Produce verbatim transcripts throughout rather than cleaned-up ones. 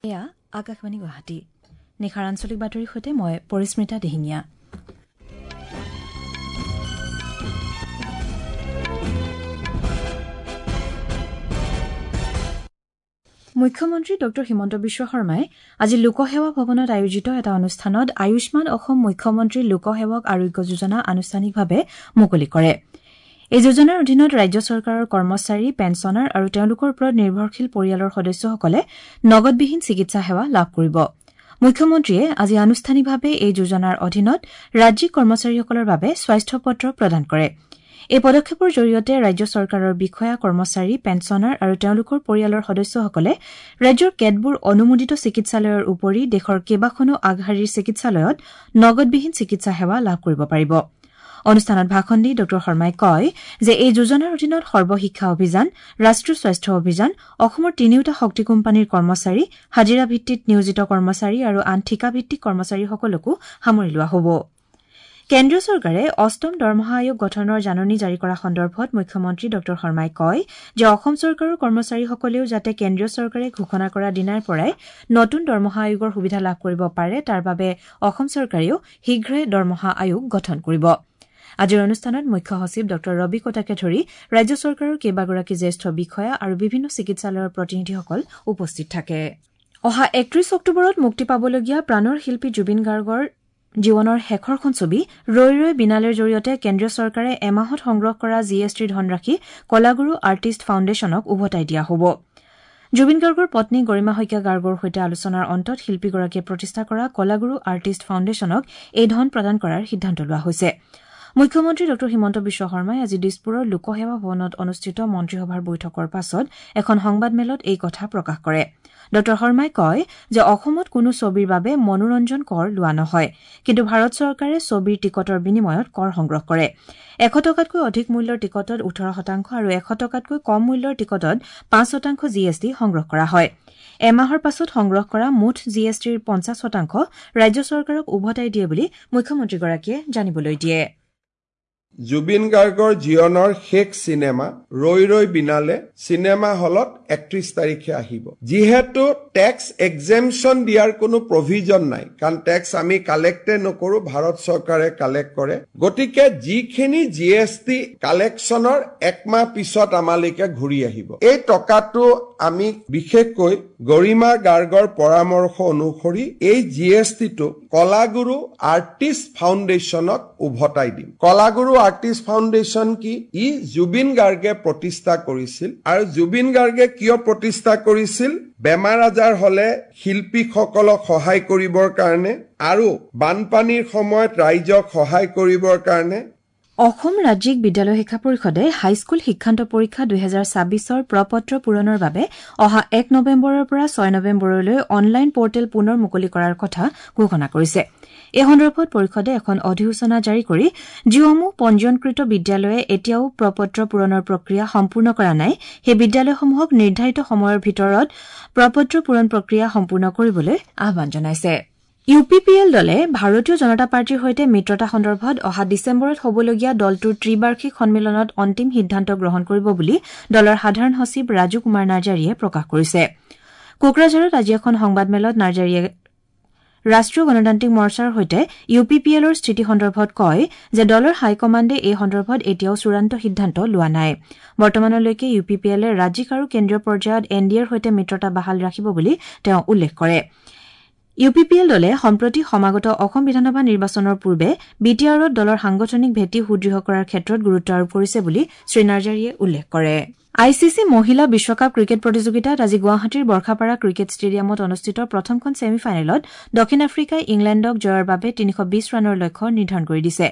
এয়া আকাশবাণী গুৱাহাটী। নিশাৰ আঞ্চলিক বাতৰিৰ সৈতে মই পৰিস্মিতা দিহিঙীয়া। মুখ্যমন্ত্ৰী ডঃ হিমন্ত বিশ্ব শৰ্মাই আজি লোকসেৱা ভৱনত আয়োজিত এটা অনুষ্ঠানত আয়ুষ্মান অসম মুখ্যমন্ত্ৰী লোকসেৱক আৰোগ্য যোজনা আনুষ্ঠানিকভাৱে মুকলি কৰে। এই যোজনাৰ অধীনত ৰাজ্য চৰকাৰৰ কৰ্মচাৰী, পেঞ্চনাৰ আৰু তেওঁলোকৰ ওপৰত নিৰ্ভৰশীল পৰিয়ালৰ সদস্যসকলে নগদবিহীন চিকিৎসা সেৱা লাভ কৰিব। মুখ্যমন্ত্ৰীয়ে আজি আনুষ্ঠানিকভাৱে এই যোজনাৰ অধীনত ৰাজ্যিক কৰ্মচাৰীসকলৰ বাবে স্বাস্থ্য পত্ৰ প্ৰদান কৰে। এই পদক্ষেপৰ জৰিয়তে ৰাজ্য চৰকাৰৰ বিষয়া, কৰ্মচাৰী, পেঞ্চনাৰ আৰু তেওঁলোকৰ পৰিয়ালৰ সদস্যসকলে ৰাজ্যৰ কেতবোৰ অনুমোদিত চিকিৎসালয়ৰ উপৰি দেশৰ কেইবাখনো আগশাৰীৰ চিকিৎসালয়ত নগদবিহীন চিকিৎসা সেৱা লাভ কৰিব পাৰিব। অনুষ্ঠানত ভাষণ দি ডঃ শৰ্মাই কয় যে এই যোজনাৰ অধীনত সৰ্বশিক্ষা অভিযান, ৰাষ্ট্ৰীয় স্বাস্থ্য অভিযান, অসমৰ তিনিওটা শক্তি কোম্পানীৰ কৰ্মচাৰী, হাজিৰা ভিত্তিত নিয়োজিত কৰ্মচাৰী আৰু আন ঠিকাভিত্তিক কৰ্মচাৰীসকলকো সামৰি লোৱা হ'ব। কেন্দ্ৰীয় চৰকাৰে অষ্টম দৰমহা আয়োগ গঠনৰ জাননী জাৰি কৰা সন্দৰ্ভত মুখ্যমন্ত্ৰী ডঃ শৰ্মাই কয় যে অসম চৰকাৰৰ কৰ্মচাৰীসকলেও যাতে কেন্দ্ৰীয় চৰকাৰে ঘোষণা কৰা দিনাৰ পৰাই নতুন দৰমহা আয়োগৰ সুবিধা লাভ কৰিব পাৰে তাৰ বাবে অসম চৰকাৰেও শীঘ্ৰে দৰমহা আয়োগ গঠন কৰিব। আজিৰ অনুষ্ঠানত মুখ্য সচিব ডঃ ৰবি কোটাকে ধৰি ৰাজ্য চৰকাৰৰ কেইবাগৰাকী জ্যেষ্ঠ বিষয়া আৰু বিভিন্ন চিকিৎসালয়ৰ প্ৰতিনিধিসকল উপস্থিত থাকে। অহা একত্ৰিশ অক্টোবৰত মুক্তি পাবলগীয়া প্ৰাণৰ শিল্পী জুবিন গাৰ্গৰ জীৱনৰ শেষৰখন ছবি ৰৈ ৰৈ বিনালেৰ জৰিয়তে কেন্দ্ৰীয় চৰকাৰে এমাহত সংগ্ৰহ কৰা জি এছ টিৰ ধনৰাশি কলাগুৰু আৰ্টিষ্ট ফাউণ্ডেশ্যনক উভতাই দিয়া হ'ব। জুবিন গাৰ্গৰ পত্নী গৰিমা শইকীয়া গাৰ্গৰ সৈতে আলোচনাৰ অন্তত শিল্পীগৰাকীয়ে প্ৰতিষ্ঠা কৰা কলাগুৰু আৰ্টিষ্ট ফাউণ্ডেশ্যনক এই ধন প্ৰদান কৰাৰ সিদ্ধান্ত লোৱা হৈছে। মুখ্যমন্ত্ৰী ডঃ হিমন্ত বিশ্ব শৰ্মাই আজি দিছপুৰৰ লোকসেৱা ভৱনত অনুষ্ঠিত মন্ত্ৰীসভাৰ বৈঠকৰ পাছত এখন সংবাদমেলত এই কথা প্ৰকাশ কৰে। ডঃ শৰ্মাই কয় যে অসমত কোনো ছবিৰ বাবে মনোৰঞ্জন কৰ লোৱা নহয়, কিন্তু ভাৰত চৰকাৰে ছবিৰ টিকটৰ বিনিময়ত কৰ সংগ্ৰহ কৰে। এশ টকাতকৈ অধিক মূল্যৰ টিকটত ওঠৰ শতাংশ আৰু এশ টকাতকৈ কম মূল্যৰ টিকটত পাঁচ শতাংশ জি এছ টি সংগ্ৰহ কৰা হয়। এমাহৰ পাছত সংগ্ৰহ কৰা মুঠ জি এছ টিৰ পঞ্চাছ শতাংশ ৰাজ্য চৰকাৰক উভতাই দিয়ে বুলি মুখ্যমন্ত্ৰীগৰাকীয়ে জানিবলৈ দিয়ে। জুবিন গাৰ্গৰ জীৱনৰ শেষ চিনেমা ৰৈ ৰৈ বিনালে চিনেমা হলত একত্ৰিশ তাৰিখে আহিব। যিহেতু টেক্স এক্সেমশ্যন দিয়াৰ কোনো প্ৰভিজন নাই, কাৰণ টেক্স আমি কালেক্টে নকৰো, ভাৰত চৰকাৰে কালেক্ট কৰে। গতিকে যিখিনি জি এছ টি কালেকশ্যনৰ একমাহ পিছত আমালৈকে ঘূৰি আহিব, এই টকাটো আমি বিশেষকৈ গৰিমা গাৰ্গৰ পৰামৰ্শ অনুসৰি এই জি এছ টিটো কলাগুৰু আৰ্টিষ্ট ফাউণ্ডেশ্যনক উভতাই দিম। কলাগুৰু আৰ্টিষ্ট ফাউণ্ডেশ্যন কি? ই জুবিন গাৰ্গে প্ৰতিষ্ঠা কৰিছিল। আৰু জুবিন গাৰ্গে কিয় প্ৰতিষ্ঠা কৰিছিল? বেমাৰ আজাৰ হলে শিল্পীসকলক সহায় কৰিবৰ কাৰণে আৰু বানপানীৰ সময়ত ৰাইজক সহায় কৰিবৰ কাৰণে। অসম ৰাজ্যিক বিদ্যালয় শিক্ষা পৰিষদে হাইস্কুল শিক্ষান্ত পৰীক্ষা দুহেজাৰ ছাব্বিছৰ প্ৰপত্ৰ পূৰণৰ বাবে অহা এক নৱেম্বৰৰ পৰা ছয় নৱেম্বৰলৈ অনলাইন পৰ্টেল পুনৰ মুকলি কৰাৰ কথা ঘোষণা কৰিছে। এই সন্দৰ্ভত পৰিষদে এখন অধিসূচনা জাৰি কৰি যিসমূহ পঞ্জীয়নকৃত বিদ্যালয়ে এতিয়াও প্ৰপত্ৰ পূৰণৰ প্ৰক্ৰিয়া সম্পূৰ্ণ কৰা নাই, সেই বিদ্যালয়সমূহক নিৰ্ধাৰিত সময়ৰ ভিতৰত প্ৰপত্ৰ পূৰণ প্ৰক্ৰিয়া সম্পূৰ্ণ কৰিবলৈ আহ্বান জনাইছে। ইউ পি পি এল দলে ভাৰতীয় জনতা পাৰ্টীৰ সৈতে মিত্ৰতা সন্দৰ্ভত অহা ডিচেম্বৰত হ'বলগীয়া দলটোৰ ত্ৰিবাৰ্ষিক সন্মিলনত অন্তিম সিদ্ধান্ত গ্ৰহণ কৰিব বুলি দলৰ সাধাৰণ সচিব ৰাজু কুমাৰ নাৰ্জাৰীয়ে প্ৰকাশ কৰিছে। কোকৰাঝাৰত আজি এখন সংবাদমেলত নাৰ্জাৰীয়ে ৰাষ্ট্ৰীয় গণতান্ত্ৰিক মৰ্চাৰ সৈতে ইউ পি পি এলৰ স্থিতি সন্দৰ্ভত কয় যে দলৰ হাইকমাণ্ডে এই সন্দৰ্ভত এতিয়াও চূড়ান্ত সিদ্ধান্ত লোৱা নাই। বৰ্তমানলৈকে ইউ পি পি এলে ৰাজ্যিক আৰু কেন্দ্ৰীয় পৰ্যায়ত এন ডি এৰ সৈতে মিত্ৰতা বাহাল ৰাখিব বুলি তেওঁ উল্লেখ কৰে। ইউ পি পি এল দলে সম্প্ৰতি সমাগত অসম বিধানসভা নিৰ্বাচনৰ পূৰ্বে বি টি আৰত দলৰ সাংগঠনিক ভেটি সুদৃঢ় কৰাৰ ক্ষেত্ৰত গুৰুত্ব আৰোপ কৰিছে বুলি শ্ৰীনাৰ্জাৰীয়ে উল্লেখ কৰে। I C C মহিলা বিশ্বকাপ ক্ৰিকেট প্ৰতিযোগিতাত আজি গুৱাহাটীৰ বৰ্ষাপাৰা ক্ৰিকেট ষ্টেডিয়ামত অনুষ্ঠিত প্ৰথমখন ছেমি ফাইনেলত দক্ষিণ আফ্ৰিকাই ইংলেণ্ডক জয়ৰ বাবে তিনিশ বিশ ৰানৰ লক্ষ্য নিৰ্ধাৰণ কৰি দিছে।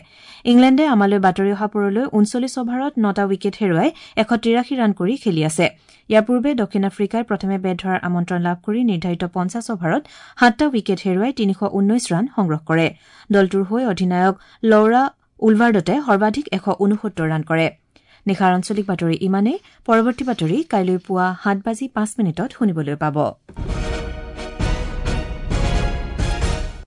ইংলেণ্ডে আমালৈ বাতৰি অহা পৰলৈ ঊনচল্লিছ অভাৰত নটা উইকেট হেৰুৱাই এশ তিৰাশী ৰান কৰি খেলি আছে। ইয়াৰ পূৰ্বে দক্ষিণ আফ্ৰিকাই প্ৰথমে বেট ধৰাৰ আমন্ত্ৰণ লাভ কৰি নিৰ্ধাৰিত পঞ্চাছ অভাৰত সাতটা উইকেট হেৰুৱাই তিনিশ ঊনৈশ ৰান সংগ্ৰহ কৰে। দলটোৰ হৈ অধিনায়ক লৌৰা উলভাৰ্ডতে সৰ্বাধিক এশ ঊনসত্তৰ ৰান কৰে। নিশাৰ আঞ্চলিক বাতৰি ইমানেই। পৰৱৰ্তী বাতৰি কাইলৈ পুৱা সাত বাজি পাঁচ মিনিটত শুনিবলৈ পাব।